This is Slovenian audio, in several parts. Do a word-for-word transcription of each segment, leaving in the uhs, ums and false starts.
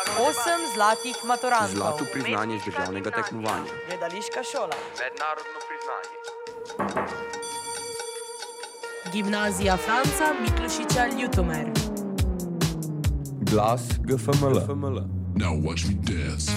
Osem zlatih maturantov. Zlato priznanje z državnega tekmovanja. Gledališka šola. Mednarodno priznanje. Gimnazija Franca Miklošiča Ljutomer. Glas G F M L. Now watch me dance.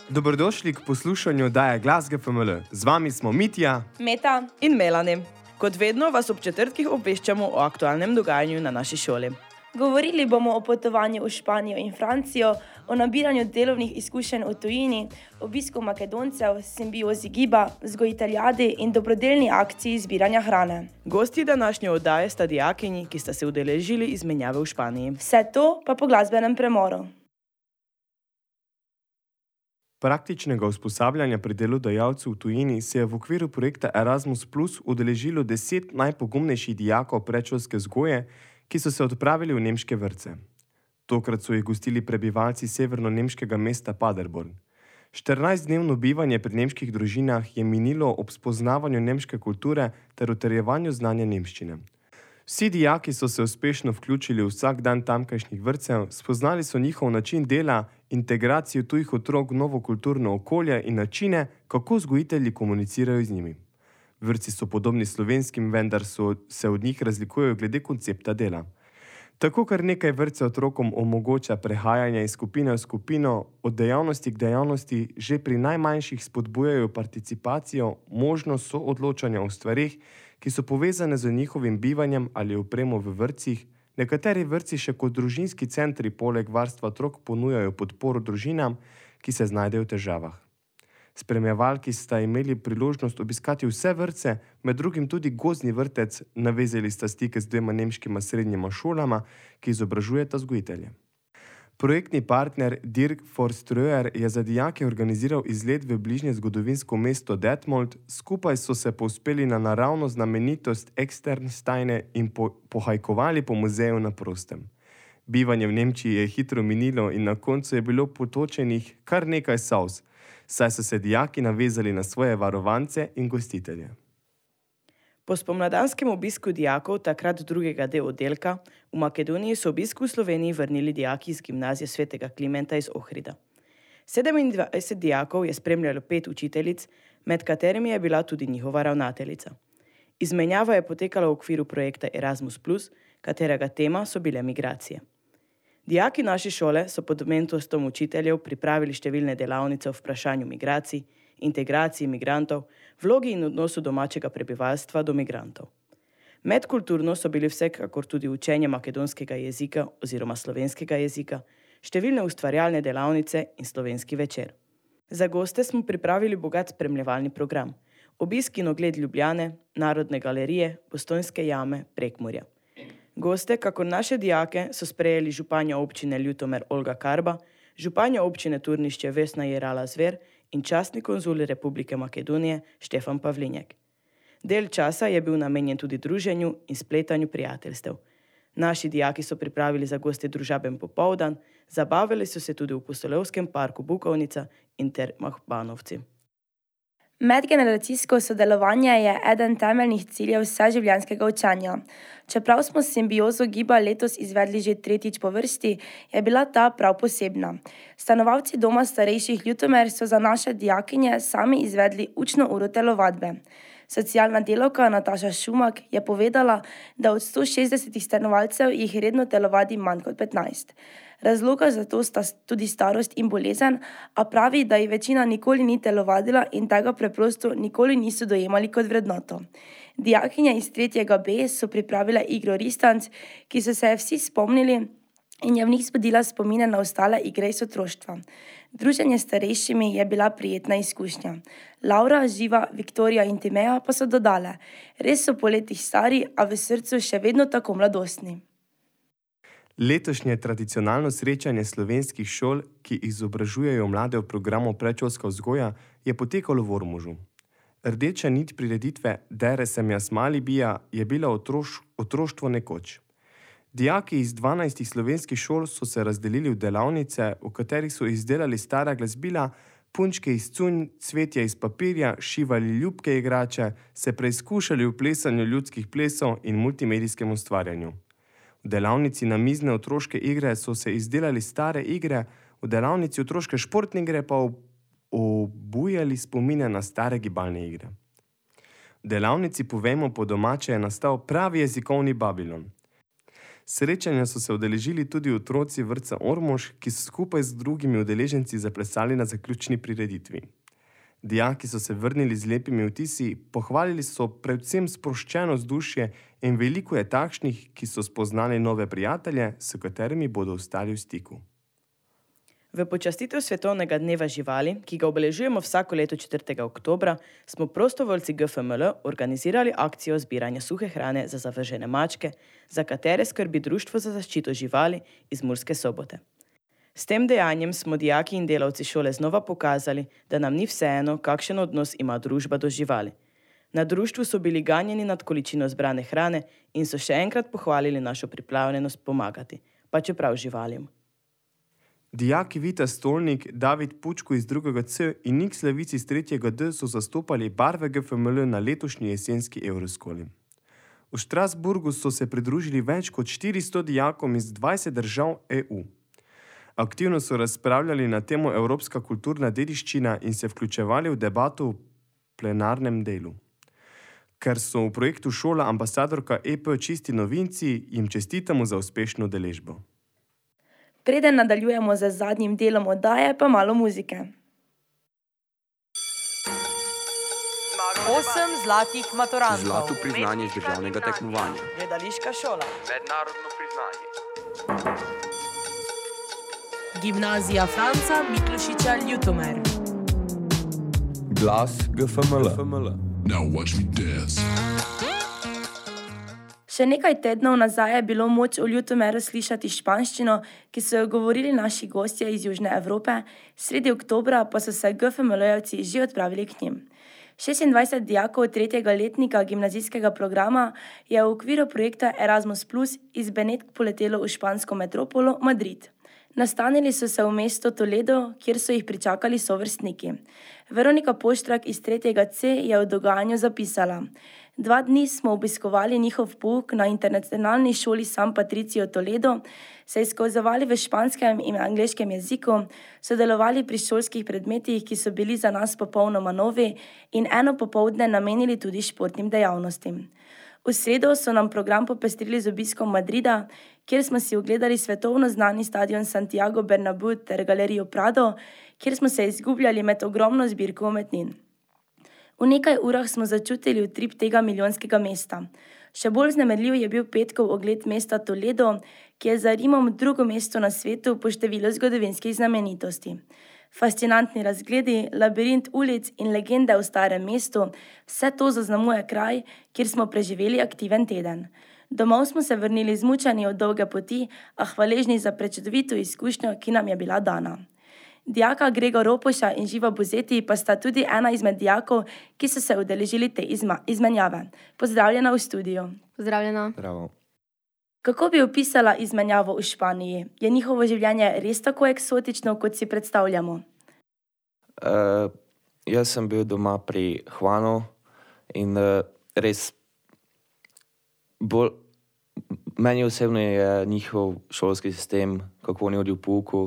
Dobrodošli k poslušanju oddaje Glas G F M L. Z vami smo Mitja, Meta in Melanie. Kot vedno vas ob četrtkih obveščamo o aktualnem dogajanju na naši šoli. Govorili bomo o potovanju v Španijo in Francijo, o nabiranju delovnih izkušenj v tujini, obisku Makedoncev, simbiozi giba, vzgojiteljadi in dobrodelni akciji zbiranja hrane. Gosti današnje oddaje sta dijakinji, ki sta se udeležili izmenjave v Španiji. Vse to pa po glasbenem premoru. Praktičnega usposabljanja pri delodajalcu v tujini se je v okviru projekta Erasmus plus udeležilo deset najpogumnejših dijakov predšolske vzgoje, ki so se odpravili v nemške vrtce. Tokrat so jih gostili prebivalci severno-nemškega mesta Paderborn. štirinajstdnevno bivanje pri nemških družinah je minilo ob spoznavanju nemške kulture ter utrjevanju znanja nemščine. Vsi dijaki so se uspešno vključili v vsak dan tamkajšnjih vrtcev, spoznali so njihov način dela, integracijo tujih otrok v novo kulturno okolje in načine, kako vzgojitelji komunicirajo z njimi. Vrtci so podobni slovenskim, vendar so, se od njih razlikujejo glede koncepta dela. Tako kar nekaj vrtcev otrokom omogoča prehajanje iz skupine v skupino, od dejavnosti k dejavnosti, že pri najmanjših spodbujajo participacijo, možnost soodločanja o stvareh, ki so povezane z njihovim bivanjem ali opremo v vrtcih. Nekateri vrtci še kot družinski centri poleg varstva otrok ponujajo podporo družinam, ki se znajdejo v težavah. Spremljevalki sta imeli priložnost obiskati vse vrtce, med drugim tudi gozdni vrtec, navezali sta stike z dvema nemškima srednjima šolama, ki izobražujeta vzgojitelje. Projektni partner Dirk Forströer je za dijake organiziral izlet v bližnje zgodovinsko mesto Detmold, skupaj so se povzpeli na naravno znamenitost Externsteine in po, pohajkovali po muzeju na prostem. Bivanje v Nemčiji je hitro minilo in na koncu je bilo potočenih kar nekaj solz, saj so se dijaki navezali na svoje varovance in gostitelje. Po spomladanskem obisku dijakov, takrat drugega D oddelka, v Makedoniji so obisku v Sloveniji vrnili dijaki iz gimnazije svetega Klimenta iz Ohrida. sedemindvajset dijakov je spremljalo pet učiteljic, med katerimi je bila tudi njihova ravnateljica. Izmenjava je potekala v okviru projekta Erasmus plus, katerega tema so bile migracije. Dijaki naše šole so pod mentorstvom učiteljev pripravili številne delavnice o vprašanju migracij, integraciji migrantov, vlogi in odnosu domačega prebivalstva do migrantov. Medkulturno so bili vsekakor tudi učenje makedonskega jezika oziroma slovenskega jezika, številne ustvarjalne delavnice in slovenski večer. Za goste smo pripravili bogat spremljevalni program, obisk in ogled Ljubljane, Narodne galerije, Postojnske jame, Prekmurja. Goste, kakor naše dijake, so sprejeli županja občine Ljutomer Olga Karba, županja občine Turnišče Vesna Jerala Zver in častni konzul Republike Makedonije Štefan Pavlinjek. Del časa je bil namenjen tudi druženju in spletanju prijateljstev. Naši dijaki so pripravili za goste družaben popoldan, zabavili so se tudi v Pustolovskem parku Bukovnica in Termah Banovci. Medgeneracijsko sodelovanje je eden temeljnih ciljev vseživljenjskega učenja. Čeprav smo simbiozo giba letos izvedli že tretjič po vrsti, je bila ta prav posebna. Stanovalci doma starejših Ljutomer so za naše dijakinje sami izvedli učno uro telovadbe. Socialna delavka Nataša Šumak je povedala, da od sto šestdeset stanovalcev jih redno telovadi manj kot petnajst. Razloga za to sta tudi starost in bolezen, a pravi, da ji večina nikoli ni telovadila in tega preprosto nikoli niso dojemali kot vrednoto. Dijakinje iz tretjega B so pripravile igro Ristanc, ki so se je vsi spomnili in je v njih spodila spomine na ostale igre iz otroštva. Druženje s starejšimi je bila prijetna izkušnja. Laura, Živa, Viktorija in Timeja pa so dodale: res so po letih stari, a v srcu še vedno tako mladostni. Letošnje tradicionalno srečanje slovenskih šol, ki izobražujejo mlade v programu predšolska vzgoja, je potekalo v Ormožu. Rdeča nit prireditve Dere sem jaz mali bija je bila otroš, otroštvo nekoč. Dijaki iz dvanajstih slovenskih šol so se razdelili v delavnice, v katerih so izdelali stara glasbila, punčke iz cunj, cvetje iz papirja, šivali ljubke igrače, se preizkušali v plesanju ljudskih plesov in multimedijskem ustvarjanju. V delavnici namizne otroške igre so se izdelali stare igre, v delavnici otroške športne igre pa obujali spomine na stare gibalne igre. V delavnici Povejmo po domače je nastal pravi jezikovni Babilon. Srečanja so se udeležili tudi otroci vrtca Ormož, ki so skupaj z drugimi udeleženci zaplesali na zaključni prireditvi. Dijaki so se vrnili z lepimi vtisi, pohvalili so predvsem sproščeno vzdušje in veliko je takšnih, ki so spoznali nove prijatelje, s katerimi bodo ostali v stiku. V počastitev Svetovnega dneva živali, ki ga obeležujemo vsako leto četrtega oktobra, smo prostovoljci G F M L organizirali akcijo zbiranja suhe hrane za zavržene mačke, za katere skrbi Društvo za zaščito živali iz Murske Sobote. S tem dejanjem smo dijaki in delavci šole znova pokazali, da nam ni vseeno, kakšen odnos ima družba do živali. Na društvu so bili ganjeni nad količino zbrane hrane in so še enkrat pohvalili našo pripravljenost pomagati, pa čeprav živalim. Dijaki Vita Stolnik, David Pučko iz drugega C in Nik Slavic iz tretjega D so zastopali barve G F M L na letošnji jesenski Euroskoli. V Strasburgu so se pridružili več kot štiristo dijakom iz dvajset držav E U. Aktivno so razpravljali na temo Evropska kulturna dediščina in se vključevali v debato v plenarnem delu. Ker so v projektu šola ambasadorka E P čisti novinci, jim čestitamo za uspešno udeležbo. Preden nadaljujemo z zadnjim delom oddaje, pa malo muzike. Osem zlatih maturantov. Zlato priznanje iz državnega tekmovanja. Gledališka šola. Mednarodno priznanje. Gimnazija Franca Miklošiča Ljutomer. Glas G F M L. Now watch me dance. Še nekaj tednov nazaj je bilo moč v Ljutomeru slišati španščino, ki so jo govorili naši gostje iz Južne Evrope, sredi oktobra pa so se G F M L-jevci že odpravili k njim. šestindvajset dijakov tretjega letnika gimnazijskega programa je v okviru projekta Erasmus plus iz Benetk poletelo v špansko metropolo Madrid. Nastanili so se v mesto Toledo, kjer so jih pričakali sovrstniki. Veronika Poštrak iz tretjega C je v dogajanju zapisala: Dva dni smo obiskovali njihov pouk na internacionalni šoli San Patricio Toledo, se izkazovali v španskem in angleškem jeziku, sodelovali pri šolskih predmetih, ki so bili za nas popolnoma novi, in eno popoldne namenili tudi športnim dejavnostim. V sredo so nam program popestrili z obiskom Madrida, kjer smo si ogledali svetovno znani stadion Santiago Bernabéu ter galerijo Prado, kjer smo se izgubljali med ogromno zbirko umetnin. V nekaj urah smo začutili utrip tega milijonskega mesta. Še bolj vznemirljiv je bil petkov ogled mesta Toledo, ki je za Rimom drugo mesto na svetu po številu zgodovinskih znamenitosti. Fascinantni razgledi, labirint ulic in legende o starem mestu, vse to zaznamuje kraj, kjer smo preživeli aktiven teden. Domov smo se vrnili zmučeni od dolge poti, a hvaležni za prečudovito izkušnjo, ki nam je bila dana. Dijaka Gregor Ropoša in Živa Buzeti pa sta tudi ena izmed dijakov, ki so se udeležili te izma- izmenjave. Pozdravljena v studiu. Pozdravljena. Bravo. Kako bi opisala izmenjavo v Španiji? Je njihovo življenje res tako eksotično, kot si predstavljamo? Uh, jaz sem bil doma pri Juanu in uh, res bolj, meni osebno je njihov šolski sistem, kako oni hodijo v pouku,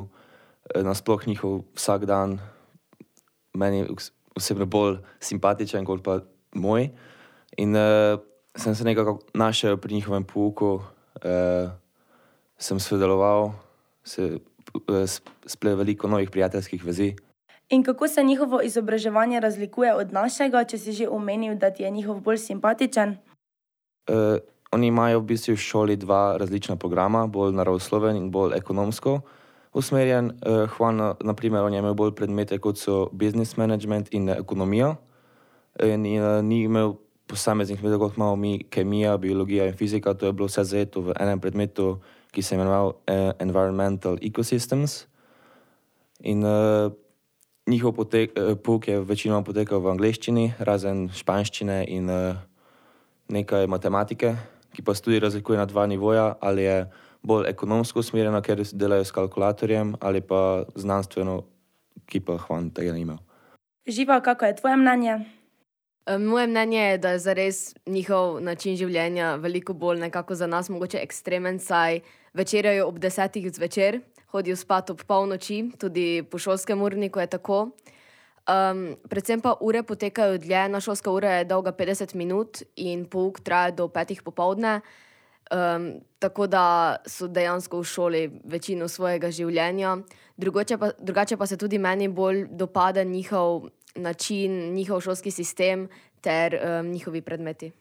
nasploh njihov vsak dan, meni osebno bolj simpatičen kot pa moj. In uh, sem se nekako našel pri njihovem pouku, uh, sem sodeloval, se uh, splet veliko novih prijateljskih vezi. In kako se njihovo izobraževanje razlikuje od našega, če si že omenil, da ti je njihov bolj simpatičen? Uh, oni imajo v bistvu v šoli dva različna programa, bolj naravosloven in bolj ekonomsko usmerjen. Uh, Juan, na primer, on je imel bolj predmete, kot so business management in ekonomija. In, in uh, ni imel posameznih predmetov, kot imamo mi kemija, biologija in fizika. To je bilo vse zajeto v enem predmetu, ki se imenoval uh, Environmental Ecosystems. In uh, njihov potek, uh, pouk je večinoma potekal v angleščini, razen španščine in uh, nekaj matematike, ki pa se tudi razlikuje na dva nivoja, ali je bolj ekonomsko usmerjeno, ker delajo s kalkulatorjem, ali pa znanstveno, ki pa Juan tega ni imel. Živa, kako je tvoje mnenje? Moje mnenje je, da je zares njihov način življenja veliko bolj nekako za nas mogoče ekstremen, saj večerjajo ob desetih zvečer, hodijo spat ob polnoči, tudi po šolskem urniku je tako. Um, predvsem pa ure potekajo dlje, na šolska ura je dolga petdeset minut in pouk traja do petih popoldne, um, tako da so dejansko v šoli večino svojega življenja. Drugače pa, drugače pa se tudi meni bolj dopade njihov način, njihov šolski sistem ter um, njihovi predmeti.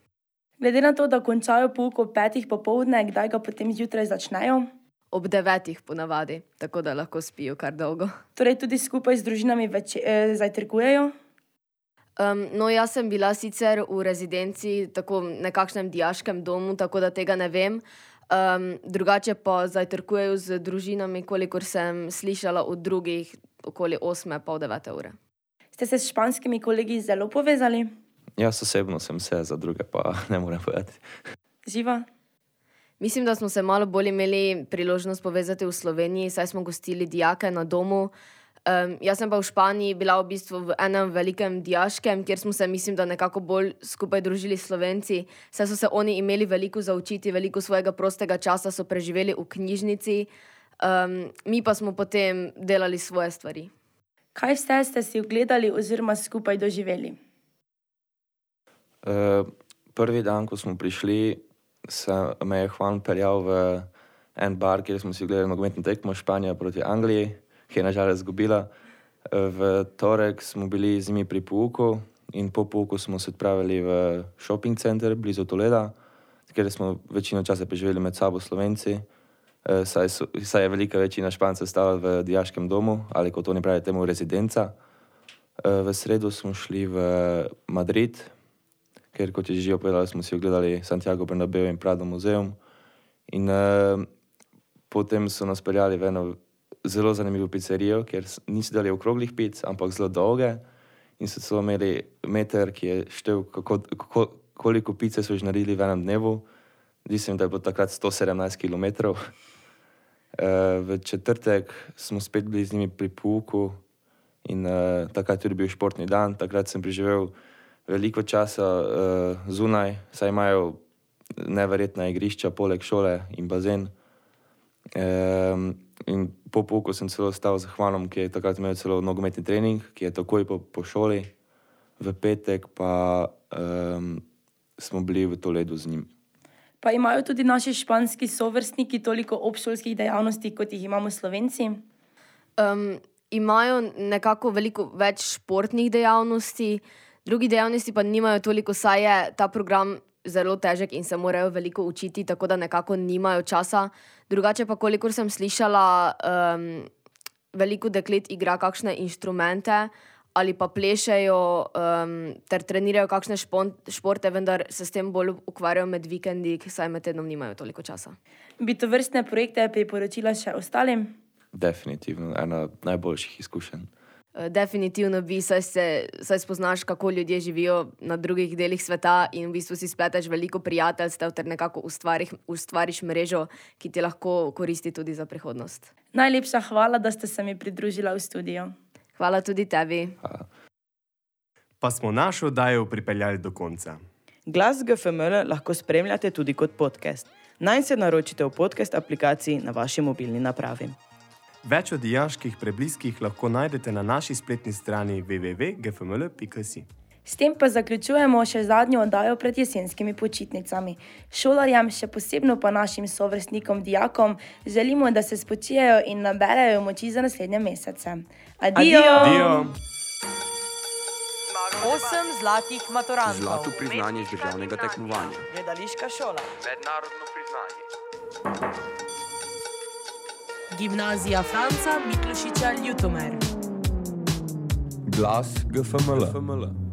Glede na to, da končajo pouk ob petih popoldne, kdaj ga potem zjutraj začnejo? Ob devetih ponavadi, tako da lahko spijo kar dolgo. Torej tudi skupaj z družinami več, eh, zajtrkujejo? Um, no, jaz sem bila sicer v rezidenci, tako nekakšnem dijaškem domu, tako da tega ne vem. Um, drugače pa zajtrkujejo z družinami, kolikor sem slišala od drugih, okoli osme, pol devete ure. Ste se s španskimi kolegi zelo povezali? Jaz osebno sem se, za druge pa ne morem povedati. Živa? Mislim, da smo se malo bolj imeli priložnost povezati v Sloveniji, saj smo gostili dijake na domu. Um, jaz sem pa v Španiji bila v bistvu v enem velikem dijaškem, kjer smo se, mislim, da nekako bolj skupaj družili Slovenci, saj so se oni imeli veliko za učiti, veliko svojega prostega časa so preživeli v knjižnici, um, mi pa smo potem delali svoje stvari. Kaj vse ste si ogledali oziroma skupaj doživeli? Uh, prvi dan, ko smo prišli, se me je Juan peljal v en bar, kjer smo si gledali nogometno tekmo Španija proti Angliji, ki je nažalost izgubila. V torek smo bili z njimi pri pouku in po pouku smo se odpravili v shopping center blizu Toleda, kjer smo večino časa preživeli med sabo Slovenci, saj, so, saj je velika večina Špancev stala v dijaškem domu, ali kot oni pravijo temu rezidenca. V sredo smo šli v Madrid, ker kot je že povedala, smo si ogledali Santiago Bernabeu in Prado muzeum. In uh, potem so nas peljali v eno zelo zanimivo pizzerijo, kjer niso dali okroglih pic, ampak zelo dolge. In so celo imeli meter, ki je štev, kako, kako, koliko pice so že naredili v enem dnevu. Mislim, da je bilo takrat sto sedemnajst kilometrov. Uh, v četrtek smo spet bili z njimi pri pouku in uh, takrat tudi bil športni dan. Takrat sem preživel veliko časa uh, zunaj, saj imajo neverjetna igrišča poleg šole in bazen. Um, in po pouku sem celo ostal z Juanom, ki je takrat imel celo nogometni trening, ki je takoj po, po šoli. V petek pa um, smo bili v Toledu z njim. Pa imajo tudi naši španski sovrstniki toliko obšolskih dejavnosti, kot jih imamo Slovenci? Um, imajo nekako veliko več športnih dejavnosti, drugi dejavnosti pa nimajo toliko, saj je ta program zelo težek in se morajo veliko učiti, tako da nekako nimajo časa. Drugače pa, kolikor sem slišala, um, veliko deklet igra kakšne inštrumente ali pa plešejo um, ter trenirajo kakšne športe, vendar se s tem bolj ukvarjajo med vikendi, saj med tednom nimajo toliko časa. Bi tovrstne projekte priporočila še ostalim? Definitivno, ena najboljših izkušenj. Definitivno bi, saj, se, saj spoznaš, kako ljudje živijo na drugih delih sveta in v bistvu si spleteš veliko prijateljstev ter nekako ustvariš, ustvariš mrežo, ki ti lahko koristi tudi za prihodnost. Najlepša hvala, da ste se mi pridružila v studio. Hvala tudi tebi. Hvala. Pa smo našo oddajo pripeljali do konca. Glas G F M L lahko spremljate tudi kot podcast. Naj se naročite v podcast aplikaciji na vaši mobilni napravi. Več o dijaških prebliskih lahko najdete na naši spletni strani w w w pika g f m l pika si. S tem pa zaključujemo še zadnjo oddajo pred jesenskimi počitnicami. Šolarjem, še posebno pa našim sovrstnikom, dijakom, želimo, da se spočijejo in naberejo moči za naslednje mesece. Adijo! Adijo! Osem zlatih maturantov. Zlato priznanje z državnega tekmovanja. Gledališka šola. Mednarodno priznanje. Gimnazija Franca Miklošiča Ljutomer. Glas G F M L.